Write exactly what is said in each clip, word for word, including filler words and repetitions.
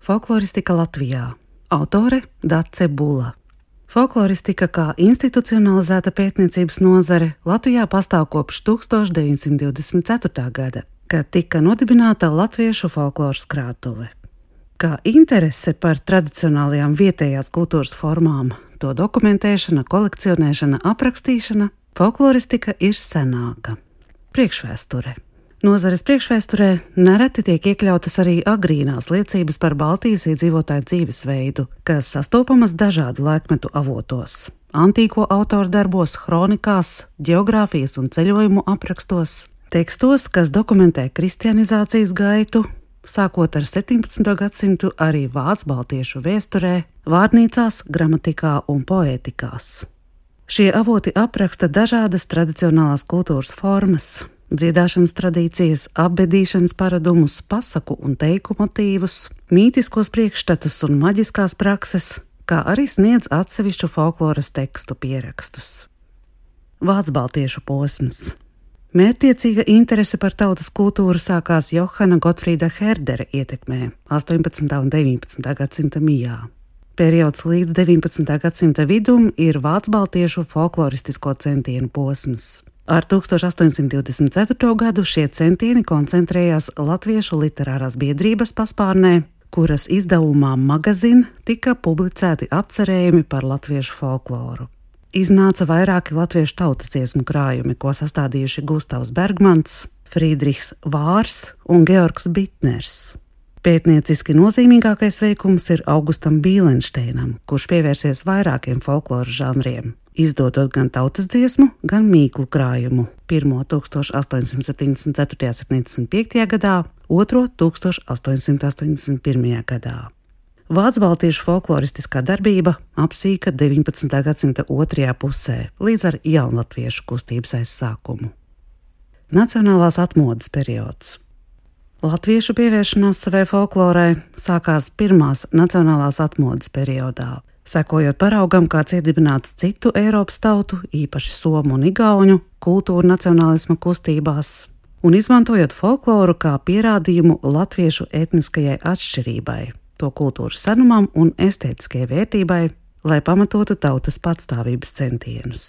Folkloristika Latvijā. Autore Dace Bula. Folkloristika kā institucionalizēta pētniecības nozare Latvijā pastāv kopš tūkstoš deviņsimt divdesmit ceturtā gada, kad tika nodibināta Latviešu folkloras krātuve. Kā interese par tradicionālajām vietējās kultūras formām, to dokumentēšana, kolekcionēšana, aprakstīšana, folkloristika ir senāka. Priekšvēsture. Nozares priekšvēsturē nereti tiek iekļautas arī agrīnās liecības par Baltijas iedzīvotāju dzīvesveidu, kas sastopamas dažādu laikmetu avotos, antīko autoru darbos, kronikās, ģeogrāfijas un ceļojumu aprakstos, tekstos, kas dokumentē kristianizācijas gaitu, sākot ar septiņpadsmito gadsimtu arī vācu baltiešu vēsturē, vārnīcās, gramatikā un poētikās. Šie avoti apraksta dažādas tradicionālās kultūras formas, dziedāšanas tradīcijas, apbedīšanas paradumus, pasaku un teiku motīvus, mītiskos priekšstatus un maģiskās prakses, kā arī sniedz atsevišķu folkloras tekstu pierakstus. Vācu-baltiešu posms. Mērķtiecīga interese par tautas kultūru sākās Johana Gotfrīda Herdera ietekmē astoņpadsmitā un deviņpadsmitā gadsimta mijā. Periods līdz deviņpadsmitā gadsimta vidum ir vācu-baltiešu folkloristisko centienu posms. Ar tūkstoš astoņsimt divdesmit ceturto gadu šie centieni koncentrējās Latviešu literārās biedrības paspārnē, kuras izdevumā Magazin tika publicēti apcerējumi par latviešu folkloru. Iznāca vairāki latviešu tautas dziesmu krājumi, ko sastādījuši Gustavs Bergmans, Friedrichs Vārs un Georgs Bitners. Pētnieciski nozīmīgākais veikums ir Augustam Bīlenšteinam, kurš pievērsies vairākiem folkloras žanriem, izdodot gan tautas dziesmu, gan mīklu krājumu. Pirmo tūkstoš astoņsimt septiņdesmit ceturtajā un septiņdesmit piektajā gadā, otro tūkstoš astoņsimt astoņdesmit pirmajā gadā. Vācu-baltiešu folkloristiskā darbība apsīka deviņpadsmitā gadsimta otrajā pusē līdz ar jaunlatviešu kustības aizsākumu. Nacionālās atmodas periods. Latviešu pievēršanās savai folklorai sākās pirmās nacionālās atmodas periodā, sekojot paraugam, kāds iedibināts citu Eiropas tautu, īpaši somu un igauņu, kultūra nacionālisma kustībās, un izmantojot folkloru kā pierādījumu latviešu etniskajai atšķirībai, to kultūras senumam un estētiskajai vērtībai, lai pamatotu tautas patstāvības centienus.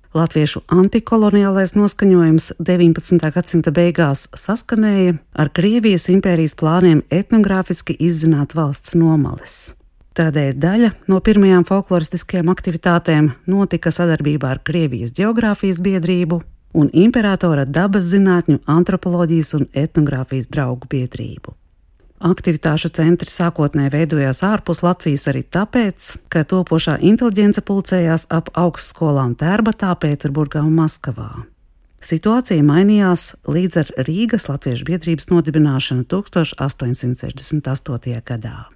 Latviešu antikoloniālais noskaņojums deviņpadsmitā gadsimta beigās saskanēja ar Krievijas impērijas plāniem etnogrāfiski izzināt valsts nomales. Tādēļ daļa no pirmajām folkloristiskajām aktivitātēm notika sadarbībā ar Krievijas ģeogrāfijas biedrību un imperatora dabas zinātņu, antropoloģijas un etnogrāfijas draugu biedrību. Aktivitāšu centri sākotnēji veidojās ārpus Latvijas arī tāpēc, ka topošā inteliģence pulcējās ap augstskolām Tērbatā, Pēterburgā un Maskavā. Situācija mainījās līdz ar Rīgas latviešu biedrības nodibināšanu tūkstoš astoņsimt sešdesmit astotajā gadā.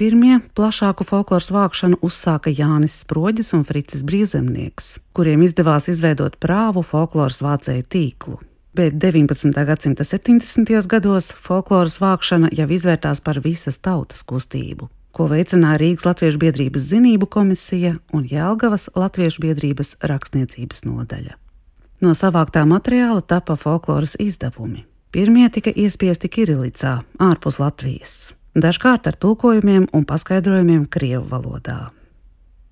Pirmie plašāku folkloras vākšanu uzsāka Jānis Sproģis un Fricis Brīvzemnieks, kuriem izdevās izveidot prāvu folkloras vācēju tīklu. Bet deviņpadsmitā gadsimta septiņdesmitajos gados folkloras vākšana jau izvērtās par visas tautas kustību, ko veicināja Rīgas latviešu biedrības zinību komisija un Jelgavas latviešu biedrības rakstniecības nodaļa. No savāktā materiāla tapa folkloras izdevumi. Pirmie tika iespiesti kirilicā, ārpus Latvijas, dažkārt ar tulkojumiem un paskaidrojumiem krievu valodā.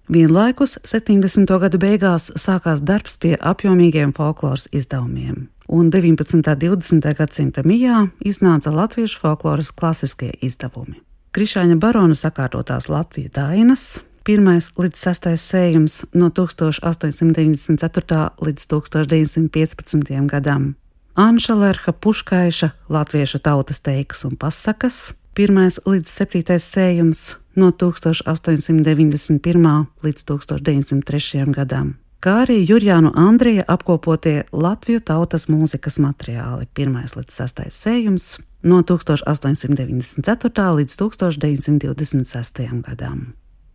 Vienlaikus septiņdesmito gadu beigās sākās darbs pie apjomīgiem folkloras izdevumiem, un deviņpadsmitā un divdesmitā gadsimta mijā iznāca latviešu folkloras klasiskie izdevumi. Krišāņa barona sakārtotās Latviju dainas, pirmais līdz sestais sējums no tūkstoš astoņsimt deviņdesmit ceturtā līdz tūkstoš deviņsimt piecpadsmitajam gadam, Anša Lerha Puškaiša latviešu tautas teikas un pasakas, pirmais līdz septītais sējums no tūkstoš astoņsimt deviņdesmit pirmā līdz tūkstoš deviņsimt trešajam gadam, kā arī Jurjānu Andrija apkopotie Latviju tautas mūzikas materiāli, pirmais līdz sestais sējums no tūkstoš astoņsimt deviņdesmit ceturtā līdz tūkstoš deviņsimt divdesmit sestajam gadam.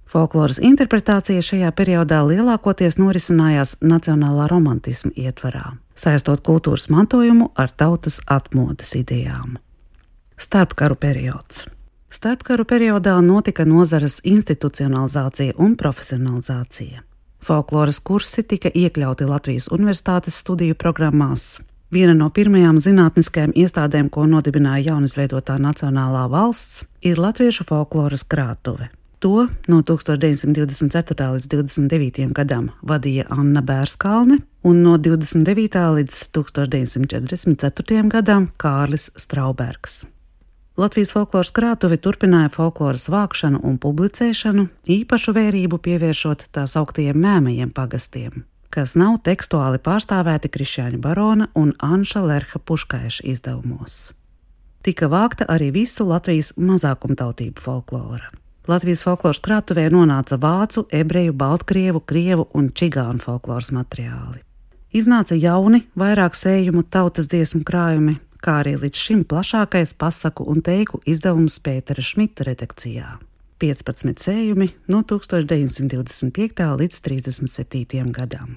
Folkloras interpretācija šajā periodā lielākoties norisinājās nacionālā romantisma ietvarā, saistot kultūras mantojumu ar tautas atmodas idejām. Starpkaru periods. Starpkaru periodā notika nozares institucionalizācija un profesionalizācija. Folkloras kursi tika iekļauti Latvijas universitātes studiju programmās. Viena no pirmajām zinātniskajām iestādēm, ko nodibināja jaunizveidotā Nacionālā valsts, ir Latviešu folkloras krātuve. To no tūkstoš deviņsimt divdesmit ceturtā līdz divdesmit devītajam gadam vadīja Anna Bērskalne un no divdesmit devītā līdz tūkstoš deviņsimt četrdesmit ceturtajam gadam Kārlis Straubergs. Latvijas folkloras krātuve turpināja folkloras vākšanu un publicēšanu, īpašu vērību pievēršot tā sauktiem mēmajiem pagastiem, kas nav tekstuāli pārstāvēti Krišjāņa Barona un Anša Lerha Puškaiša izdevumos. Tika vākta arī visu Latvijas mazākumtautību folklora. Latvijas folkloras krātuvē nonāca vācu, ebreju, baltkrievu, krievu un čigānu folkloras materiāli. Iznāca jauni, vairāk sējumu tautas dziesmu krājumi, kā arī līdz šim plašākais pasaku un teiku izdevums Pētera Šmita redakcijā. piecpadsmit sējumi no tūkstoš deviņsimt divdesmit piektajā līdz trīsdesmit septītajam gadam.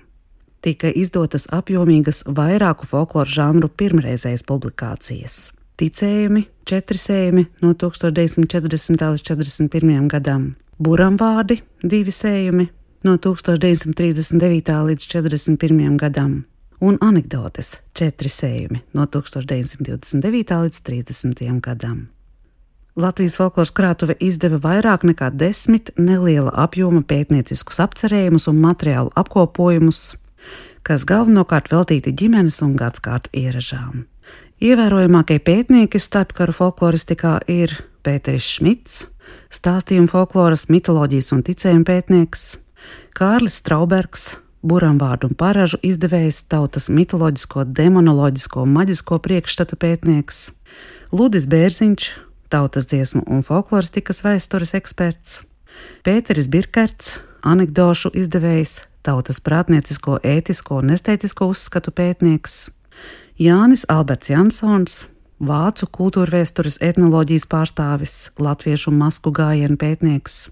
Tika izdotas apjomīgas vairāku folkloru žanru pirmreizējas publikācijas. Ticējumi, četri sējumi no tūkstoš deviņsimt četrdesmitā līdz četrdesmit pirmajam gadam, buramvārdi, divi sējumi no tūkstoš deviņsimt trīsdesmit devītā līdz četrdesmit pirmajam gadam un anekdotes, četri sējumi no tūkstoš deviņsimt divdesmit devītā līdz trīsdesmitajam gadam. Latvijas folkloras krātuve izdeva vairāk nekā desmit neliela apjoma pētnieciskus apcerējumus un materiālu apkopojumus, kas galvenokārt veltīti ģimenes un gadskārtu ieražām. Ievērojamākie pētnieki starpkaru folkloristikā ir Pēteris Šmits, stāstījumu folkloras, mitoloģijas un ticējuma pētnieks, Kārlis Straubergs, buramvārdu un paražu izdevējs, tautas mitoloģisko, demonoloģisko un maģisko priekšstatu pētnieks, Ludis Bērziņš, tautas dziesmu un folkloristikas vēstures eksperts, Pēteris Birkerts, anekdošu izdevējs, tautas prātniecisko, ētisko un estētisko uzskatu pētnieks, Jānis Alberts Jansons, vācu kultūrvēstures etnoloģijas pārstāvis, latviešu masku gājienu pētnieks,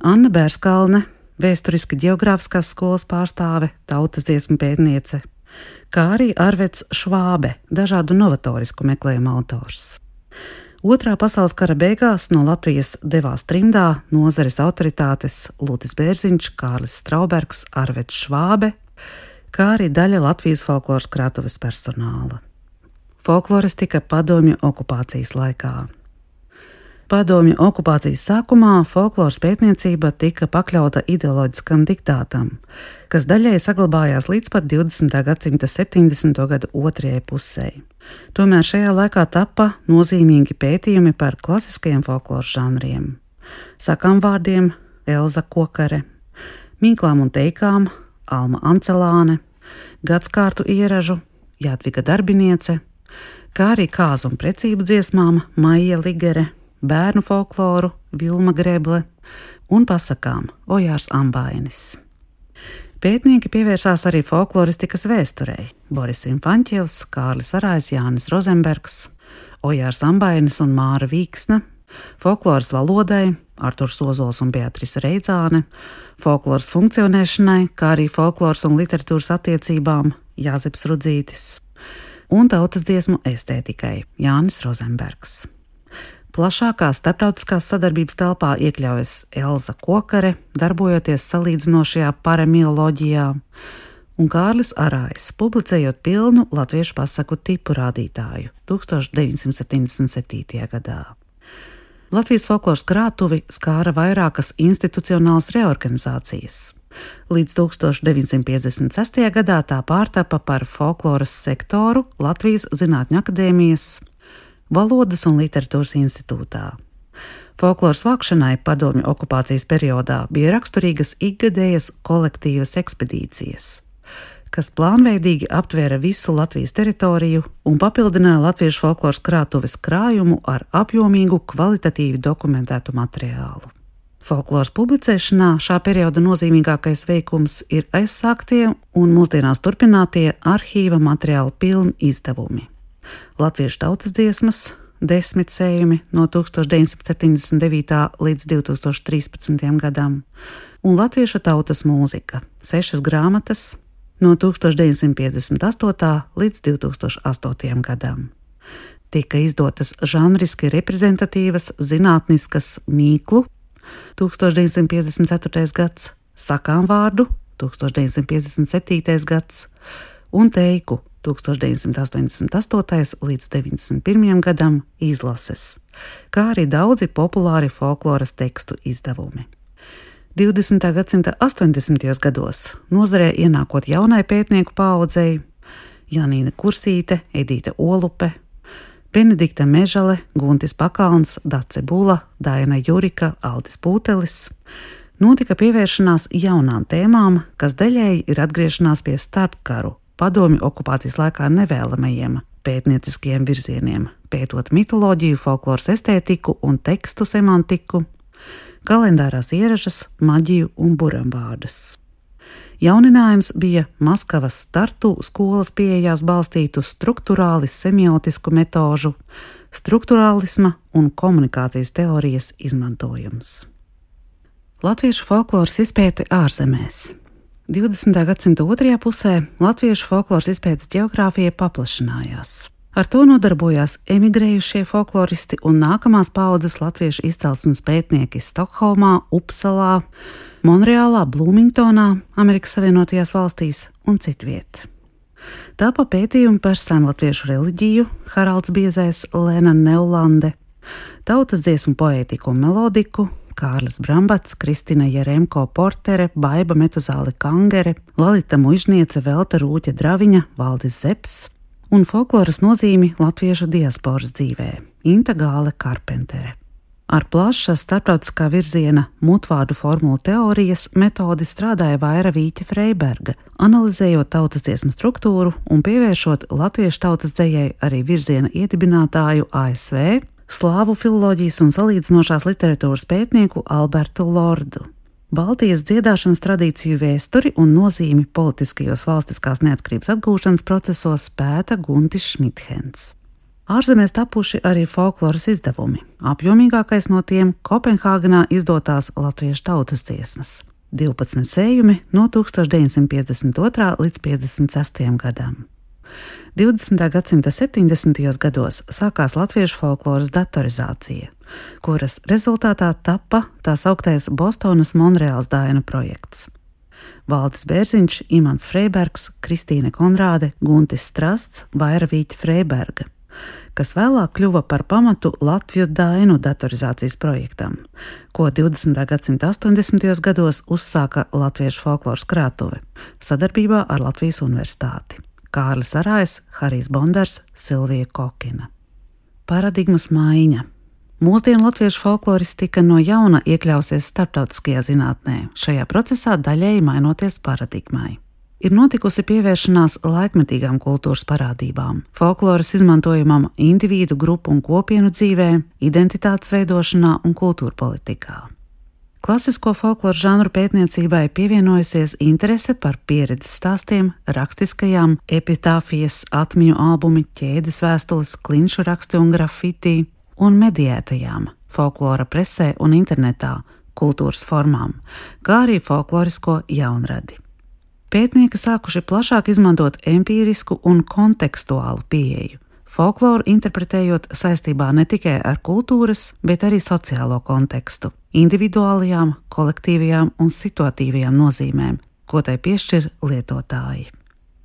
Anna Bērskalne, vēsturiski ģeogrāfiskās skolas pārstāve, tautas dziesmu pētniece, kā arī Arveds Švābe, dažādu novatorisku meklējumu autors. Otrā pasaules kara beigās no Latvijas devās trimdā nozares autoritātes Ludis Bērziņš, Kārlis Straubergs, Arveds Švābe, kā arī daļa Latvijas folkloras krātuves personāla. Folkloristika padomju okupācijas laikā. Padomju okupācijas sākumā folkloras pētniecība tika pakļauta ideoloģiskam diktātam, kas daļai saglabājās līdz pat divdesmitā gadsimta septiņdesmito gadu otrajai pusē. Tomēr šajā laikā tappa nozīmīgi pētījumi par klasiskajiem folkloras žanriem – sakāmvārdiem, Elza Kokare, mīklām un teikām, Alma Ancelāne, gadskārtu ieražu, Jadviga Darbiniece, kā arī kāzu un precību dziesmām Maija Ligere, bērnu folkloru Vilma Greble un pasakām Ojārs Ambainis. Pētnieki pievērsās arī folkloristikas vēsturei – Boris Infanķievs, Kārlis Arājs, Jānis Rozenbergs, Ojārs Ambainis un Māra Vīksne, folkloras valodai Arturs Ozols un Beatrice Reidzāne, folkloras funkcionēšanai, kā arī folkloras un literatūras attiecībām Jāzeps Rudzītis un tautas dziesmu estētikai Jānis Rozenbergs. Plašākā starptautiskās sadarbības telpā iekļaujas Elza Kokare, darbojoties salīdzinošajā paremioloģijā, un Kārlis Arājs, publicējot pilnu latviešu pasaku tipu rādītāju tūkstoš deviņsimt septiņdesmit septītajā gadā. Latvijas folkloras krātuvi skāra vairākas institucionālas reorganizācijas. Līdz tūkstoš deviņsimt piecdesmit sestajā gadā tā pārtapa par folkloras sektoru Latvijas Zinātņu akadēmijas Valodas un literatūras institūtā. Folkloras vākšanai padomju okupācijas periodā bija raksturīgas ikgadējas kolektīvas ekspedīcijas, kas plānveidīgi aptvēra visu Latvijas teritoriju un papildināja latviešu folkloras krātuves krājumu ar apjomīgu, kvalitatīvi dokumentētu materiālu. Folkloras publicēšanā šā perioda nozīmīgākais veikums ir aizsāktie un mūsdienās turpinātie arhīva materiālu pilni izdevumi. Latviešu tautas dziesmas, desmit sējumi no tūkstoš deviņsimt septiņdesmit devītā līdz divtūkstoš trīspadsmitajam gadam, un latviešu tautas mūzika, sešas grāmatas no tūkstoš deviņsimt piecdesmit astotā līdz divtūkstoš astotajam gadam. Tika izdotas žanriski reprezentatīvas zinātniskas mīklu, tūkstoš deviņsimt piecdesmit ceturtais gads, sakāmvārdu, tūkstoš deviņsimt piecdesmit septītais gads un teiku, tūkstoš deviņsimt astoņdesmit astotais līdz deviņdesmit pirmajam gadam izlases, kā arī daudzi populāri folkloras tekstu izdevumi. divdesmitā gadsimta astoņdesmitajos gados nozarē ienākot jaunai pētnieku paaudzei Janīna Kursīte, Edīte Olupe, Benedikta Mežale, Guntis Pakalns, Dace Bula, Daina Jurika, Aldis Pūtelis, notika pievēršanās jaunām tēmām, kas daļēji ir atgriešanās pie starpkaru, padomju okupācijas laikā nevēlamajiem pētnieciskiem virzieniem, pētot mitoloģiju, folkloras estētiku un tekstu semantiku, kalendārās ierašas, maģiju un buramvārdus. Jauninājums bija Maskavas Tartu skolas pieejās balstītu strukturālis semiotisku metožu, strukturālisma un komunikācijas teorijas izmantojums. Latviešu folkloras izpēte ārzemēs. divdesmitā gadsimta otrajā pusē latviešu folkloras izpētes ģeogrāfija paplašinājās. Ar to nodarbojās emigrējušie folkloristi un nākamās paaudzes latviešu izcelsmes pētnieki Stokholmā, Upsalā, Monreālā, Blūmingtonā, Amerikas Savienotajās valstīs un citviet. Tāpa pētījumi par senlatviešu reliģiju Haralds Biezais, Lēna Neulande, tautas dziesmu poētiku un melodiku Kārlis Brambats, Kristina Jeremko Portere, Baiba Metuzāle Kangere, Lalita Muižniece, Velta Rūķa Draviņa, Valdis Zeps un folkloras nozīmi latviešu diasporas dzīvē Inta Gāle Karpentere. Ar plaša starptautiskā virziena mutvārdu formulu teorijas metodi strādāja Vaira Vīķa Freiberga, analizējot tautas dziesmu struktūru un pievēršot latviešu tautas dzejai arī virziena iedibinātāju A S V, slāvu filoloģijas un salīdzinošās literatūras pētnieku Albertu Lordu. Baltijas dziedāšanas tradīciju vēsturi un nozīmi politiskajos valstiskās neatkarības atgūšanas procesos pēta Guntis Šmithens. Ārzemēs tapuši arī folkloras izdevumi, apjomīgākais no tiem Kopenhāgenā izdotās latviešu tautas dziesmas, divpadsmit sējumi no tūkstoš deviņsimt piecdesmit otrā līdz piecdesmit sestajam gadam. divdesmitā gadsimta septiņdesmitajos gados sākās latviešu folkloras datorizācija, kuras rezultātā tappa tā sauktais Bostonas Monreāls dainu projekts. Valdis Bērziņš, Imants Freibergs, Kristīne Konrāde, Guntis Strasts, Vaira Vīķa Freiberga, kas vēlāk kļuva par pamatu Latviju dainu datorizācijas projektam, ko divdesmitā gadsimta astoņdesmitajos gados uzsāka Latviešu folkloras krātuve sadarbībā ar Latvijas universitāti. Kārlis Arājs, Harijs Bondars, Silvija Kokina. Paradigmas maiņa. Mūsdienu latviešu folkloristika no jauna iekļausies starptautiskajā zinātnē, šajā procesā daļēji mainoties paradigmai. Ir notikusi pievēršanās laikmetīgām kultūras parādībām, folkloras izmantojumam individu, grupu un kopienu dzīvē, identitātes veidošanā un kultūra politikā. Klasisko folkloru žanru pētniecībai pievienojusies interese par pieredzes stāstiem, rakstiskajām, epitāfijas, atmiņu albumi, ķēdes vēstules, klinšu raksti un grafiti un mediētajām, folklora presē un internetā, kultūras formām, kā arī folklorisko jaunradi. Pētnieki sākuši plašāk izmantot empīrisku un kontekstuālu pieeju, folkloru interpretējot saistībā ne tikai ar kultūras, bet arī sociālo kontekstu, individuālajām, kolektīvajām un situatīvajām nozīmēm, ko tai piešķir lietotāji.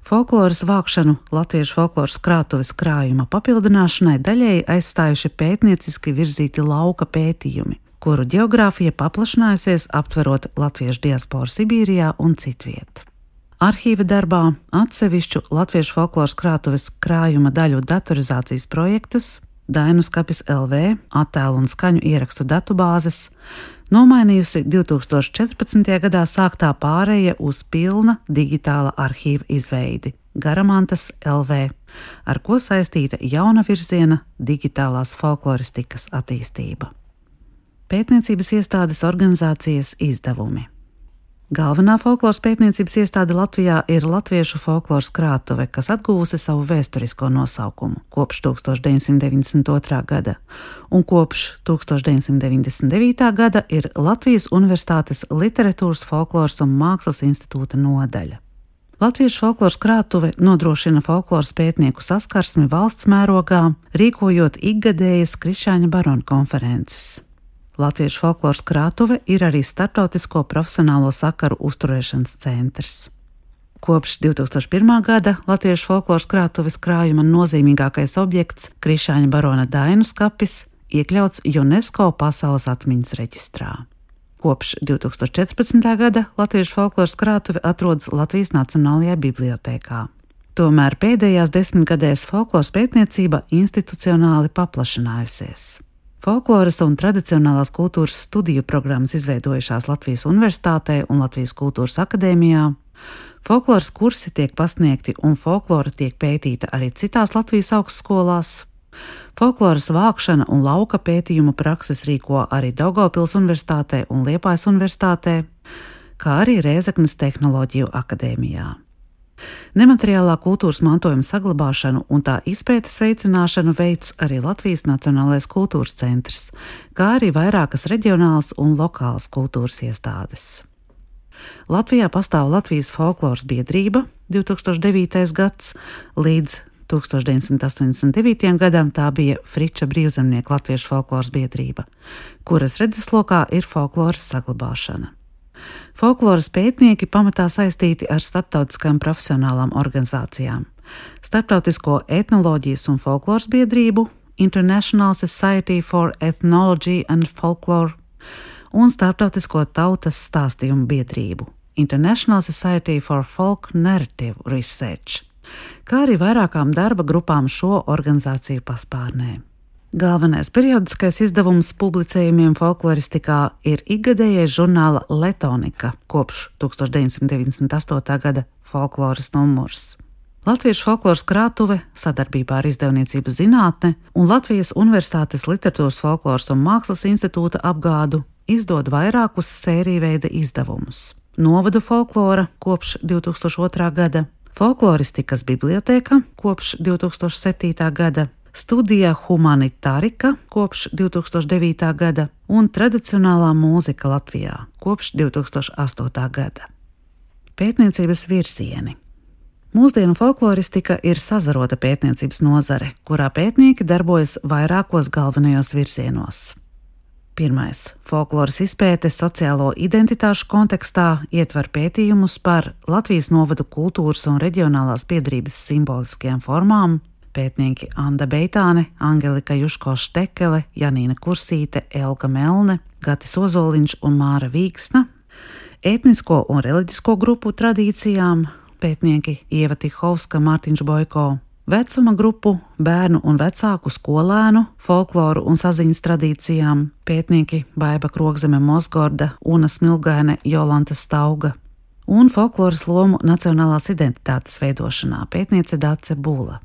Folkloras vākšanu latviešu folkloras krātuves krājuma papildināšanai daļēji aizstājuši pētnieciski virzīti lauka pētījumi, kuru ģeogrāfija paplašinājusies aptverot latviešu diasporu Sibīrijā un citviet. Arhīva darbā atsevišķu latviešu folkloras krātuves krājuma daļu datorizācijas projektus, Dainu skapis L V, attēlu un skaņu ierakstu datubāzes, nomainījusi divi tūkstoši četrpadsmitajā gadā sāktā pāreja uz pilna digitāla arhīva izveidi Garamantas L V, ar ko saistīta jauna virziena digitālās folkloristikas attīstība. Pētniecības iestādes organizācijas izdevumi. Galvenā folkloras pētniecības iestāde Latvijā ir Latviešu folkloras krātuve, kas atguvusi savu vēsturisko nosaukumu kopš tūkstoš deviņsimt deviņdesmit otrā gada, un kopš tūkstoš deviņsimt deviņdesmit devītā gada ir Latvijas Universitātes Literatūras, folkloras un mākslas institūta nodaļa. Latviešu folkloras krātuve nodrošina folkloras pētnieku saskarsmi valsts mērogā, rīkojot ikgadējas Krišāņa barona konferences. Latviešu folkloras krātuve ir arī starptautisko profesionālo sakaru uzturēšanas centrs. Kopš divtūkstoš pirmā gada Latviešu folkloras krātuves krājuma nozīmīgākais objekts Krišāņa barona Dainu skapis iekļauts UNESCO pasaules atmiņas reģistrā. Kopš divtūkstoš četrpadsmitā gada Latviešu folkloras krātuve atrodas Latvijas Nacionālajā bibliotēkā. Tomēr pēdējās desmitgadēs folkloras pētniecība institucionāli paplašinājusies. Folkloras un tradicionālās kultūras studiju programmas izveidojušās Latvijas Universitātē un Latvijas Kultūras akadēmijā. Folkloras kursi tiek pasniegti un folklora tiek pētīta arī citās Latvijas augstskolās. Folkloras vākšana un lauka pētījumu prakses rīko arī Daugavpils Universitātē un Liepājas Universitātē, kā arī Rēzeknes Tehnoloģiju akadēmijā. Nemateriālā kultūras mantojuma saglabāšanu un tā izpētes veicināšanu veic arī Latvijas Nacionālais kultūras centrs, kā arī vairākas reģionālas un lokālas kultūras iestādes. Latvijā pastāv Latvijas folkloras biedrība divtūkstoš devītais gads, līdz tūkstoš deviņsimt astoņdesmit devītajam gadam tā bija Friča brīvzemnieku Latviešu folkloras biedrība, kuras redzeslokā ir folkloras saglabāšana. Folkloras pētnieki pamatā saistīti ar starptautiskām profesionālām organizācijām, Starptautisko etnoloģijas un folkloras biedrību, International Society for Ethnology and Folklore un Starptautisko tautas stāstījumu biedrību, International Society for Folk Narrative Research, kā arī vairākām darba grupām šo organizāciju paspārnē. Galvenais periodiskais izdevums publicējumiem folkloristikā ir ikgadējais žurnāla Letonika kopš tūkstoš deviņsimt deviņdesmit astotā gada folkloras numurs. Latviešu folkloras krātuve sadarbībā ar Izdevniecību zinātne un Latvijas Universitātes literatūras folkloras un mākslas institūta apgādu izdod vairākus sēriju izdevumus. Novadu folklora kopš divtūkstoš otrā gada, folkloristikas bibliotēka kopš divtūkstoš septītā gada, studija humanitarika kopš divtūkstoš devītā gada un tradicionālā mūzika Latvijā kopš divtūkstoš astotā gada. Pētniecības virzieni. Mūsdienu folkloristika ir sazarota pētniecības nozare, kurā pētnieki darbojas vairākos galvenajos virzienos. Pirmais – folkloras izpēte sociālo identitāšu kontekstā ietver pētījumus par Latvijas novadu kultūras un reģionālās biedrības simboliskajām formām. Pētnieki Anda Beitāne, Angelika Juško-Štekele, Janīna Kursīte, Elga Melne, Gatis Ozoliņš un Māra Vīksna. Etnisko un reliģisko grupu tradīcijām pētnieki Ieva Tihovska, Mārtiņš Bojko. Vecuma grupu, bērnu un vecāku skolēnu, folkloru un saziņas tradīcijām pētnieki Baiba Krogzeme Mozgorda, Una Smilgaine, Jolanta Stauga. Un folkloras lomu nacionālās identitātes veidošanā pētniece Dace Bula.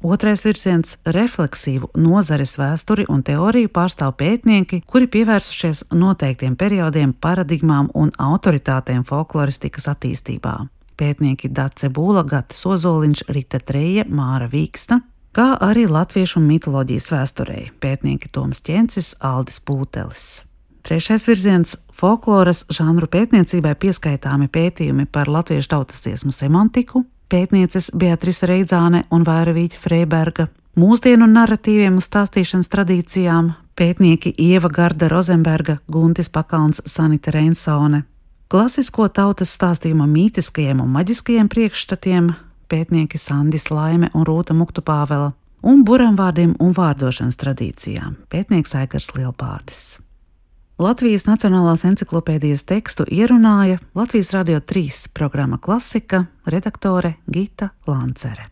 Otrais virziens – refleksīvu nozares vēsturi un teoriju pārstāv pētnieki, kuri pievērsušies noteiktiem periodiem, paradigmām un autoritātēm folkloristikas attīstībā. Pētnieki Dace Bula, Gatis Ozoliņš, Rita Treja, Māra Vīksna, kā arī latviešu mitoloģijas vēsturei pētnieki Toms Ķencis, Aldis Pūtelis. Trešais virziens – folkloras žanru pētniecībai pieskaitāmi pētījumi par latviešu tautas dziesmu semantiku, pētnieces Beatrice Reidzāne un Vaira Vīķa Freiberga, mūsdienu narratīviem un stāstīšanas tradīcijām, pētnieki Ieva Garda Rozenberga, Guntis Pakalns, Sanita Reinsone, klasisko tautas stāstījuma mītiskajiem un maģiskajiem priekšstatiem, pētnieki Sandis Laime un Rūta Muktupāvela, un buramvārdiem un vārdošanas tradīcijām, pētnieks Aigars Lielpārdis. Latvijas Nacionālās enciklopēdijas tekstu ierunāja Latvijas Radio trīs programma Klasika, redaktore Gita Lancere.